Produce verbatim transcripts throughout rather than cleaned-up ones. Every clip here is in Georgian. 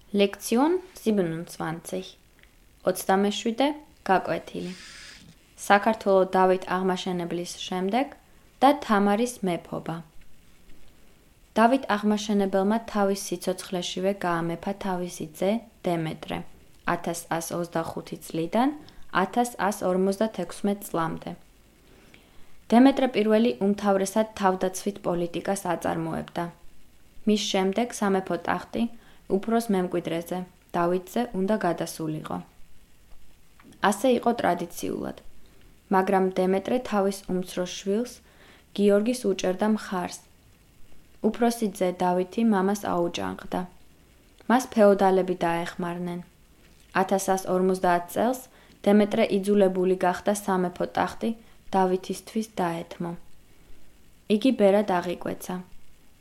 Lektion siebenundzwanzig. ოცდამეშვიდე გაკვეთილი. საქართველო დავით აღმაშენებლის შემდეგ და თამარის მეფობა. დავით აღმაშენებელმა თავის სიცოცხლეშივე გაამეფა თავისი ძე დემეტრე ათას ას ოცდახუთი წლიდან ათას ას ორმოცდათექვსმეტ წლამდე. დემეტრე პირველი უმთავრესად თავდაცვით პოლიტიკას აწარმოებდა. მის შემდეგ სამეფო ტახტი უფროს მემკვიდრეზე, დავითზე უნდა გადასულიყო. ასე იყო ტრადიციულად, მაგრამ დემეტრე თავის უმცროს შვილს, გიორგის უჭერდა მხარს. უფროსი ძე დავითი მამას აუჯანყდა. მას ფეოდალები დაეხმარნენ. ათას ას ორმოცდაათ წელს დემეტრე იძულებული გახდა სამეფო ტახტი დავითისთვის დაეთმო. იგი ბერად აღიკვეცა,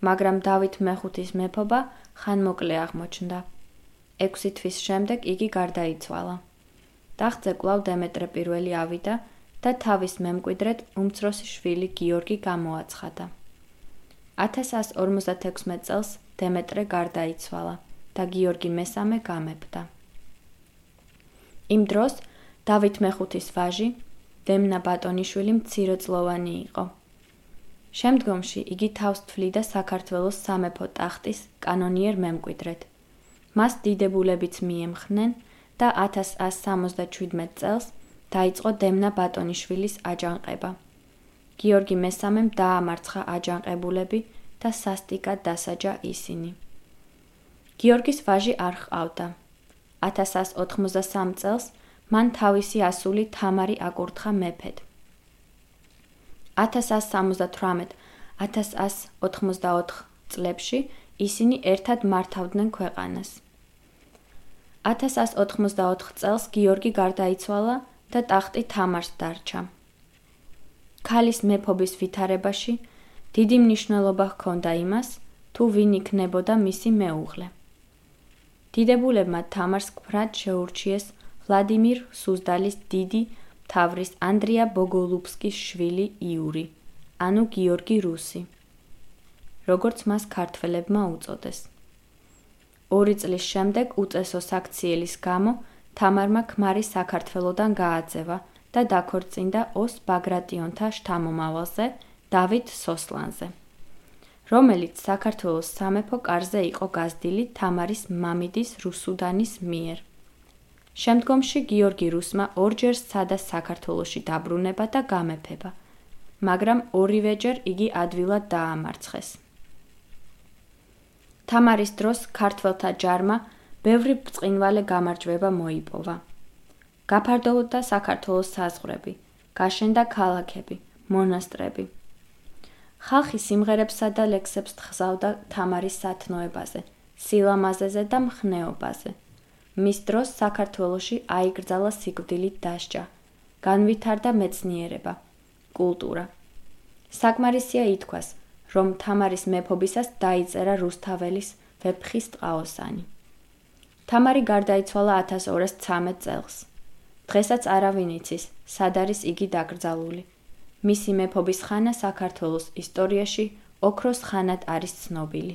მაგრამ დავით მეხუთის მეფობა ხანმოკლე აღმოჩნდა. ექვსი თვის შემდეგ იგი გარდაიცვალა. ტახტზე კვლავ დემეტრე პირველი ავიდა და თავის მემკვიდრედ უმცროსი შვილი გიორგი გამოაცხადა. ათას ას ორმოცდათექვსმეტ წელს დემეტრე გარდაიცვალა და გიორგი მესამე გამეფდა. იმ დროს დავით მეხუთის ვაჟი, დემნა ბატონიშვილი მცირეწლოვანი იყო. შემდგომში იგი თავს თვლიდა საქართველოს სამეფო ტახტის კანონიერ მემკვიდრედ. მას დიდებულებიც მიემხნენ და ათას ას სამოცდაშვიდმეტ წელს დაიწყო დემნა ბატონიშვილის აჯანყება. გიორგი მესამემ დაამარცხა აჯანყებულები და სასტიკად დასაჯა ისინი. გიორგის ვაჟი არ ჰყავდა. ათას ას ოთხმოცდასამ წელს მან თავისი ასული თამარი აკურთხა მეფედ. ათას ას სამოცდათვრამეტ - ათას ას ოთხმოცდაოთხ წლებში ისინი ერთად მართავდნენ ქვეყანას. ათას ას ოთხმოცდაოთხ წელს გიორგი გარდაიცვალა და ტახტი თამარს დარჩა. ქალის მეფობის ვითარებაში დიდი მნიშვნელობა ჰქონდა იმას, თუ ვინ იქნებოდა მისი მეუღლე. დიდებულებმა თამარს მკვდრად შეურჩიეს ვლადიმირ სუზდალის დიდი მთავრის ანდრია ბოგოლუბსკის შვილი იური, ანუ გიორგი რუსი, როგორც მას ქართველებმა უწოდეს. ორი წლის შემდეგ უწესო საქციელის გამო თამარმა ქმარი საქართველოდან გააძევა და დაქორწინდა ოს ბაგრატიონთა შთამომავალზე, დავით სოსლანზე, რომელიც საქართველოს სამეფო კარზე იყო გაზრდილი თამარის მამიდის რუსუდანის მიერ. შემდგომში გიორგი რუსმა ორჯერ სცადა საქართველოში დაბრუნება და გამეფება, მაგრამ ორივეჯერ იგი ადვილად დაამარცხეს. თამარის დროს ქართველთა ჯარმა ბევრი ბრწყინვალე გამარჯვება მოიპოვა. გაფართოვდა საქართველოს საზღვრები, გაშენდა ქალაქები, მონასტრები. ხალხი სიმღერებსა და ლექსებს თხზავდა თამარის სათნოებაზე, სილამაზეზე და მხნეობაზე. მის დროს საქართველოში აიკრძალა სიკვდილით დასჯა, განვითარდა მეცნიერება, კულტურა. საკმარისია ითქვას, რომ თამარის მეფობისას დაიწერა რუსთაველის ვეფხის ტყაოსანი. თამარი გარდაიცვალა ათას ორას ცამეტ წელს. დღესაც არავინ იცის, სად არის იგი დაკრძალული. მისი მეფობის ხანა საქართველოს ისტორიაში ოქროს ხანად არის ცნობილი.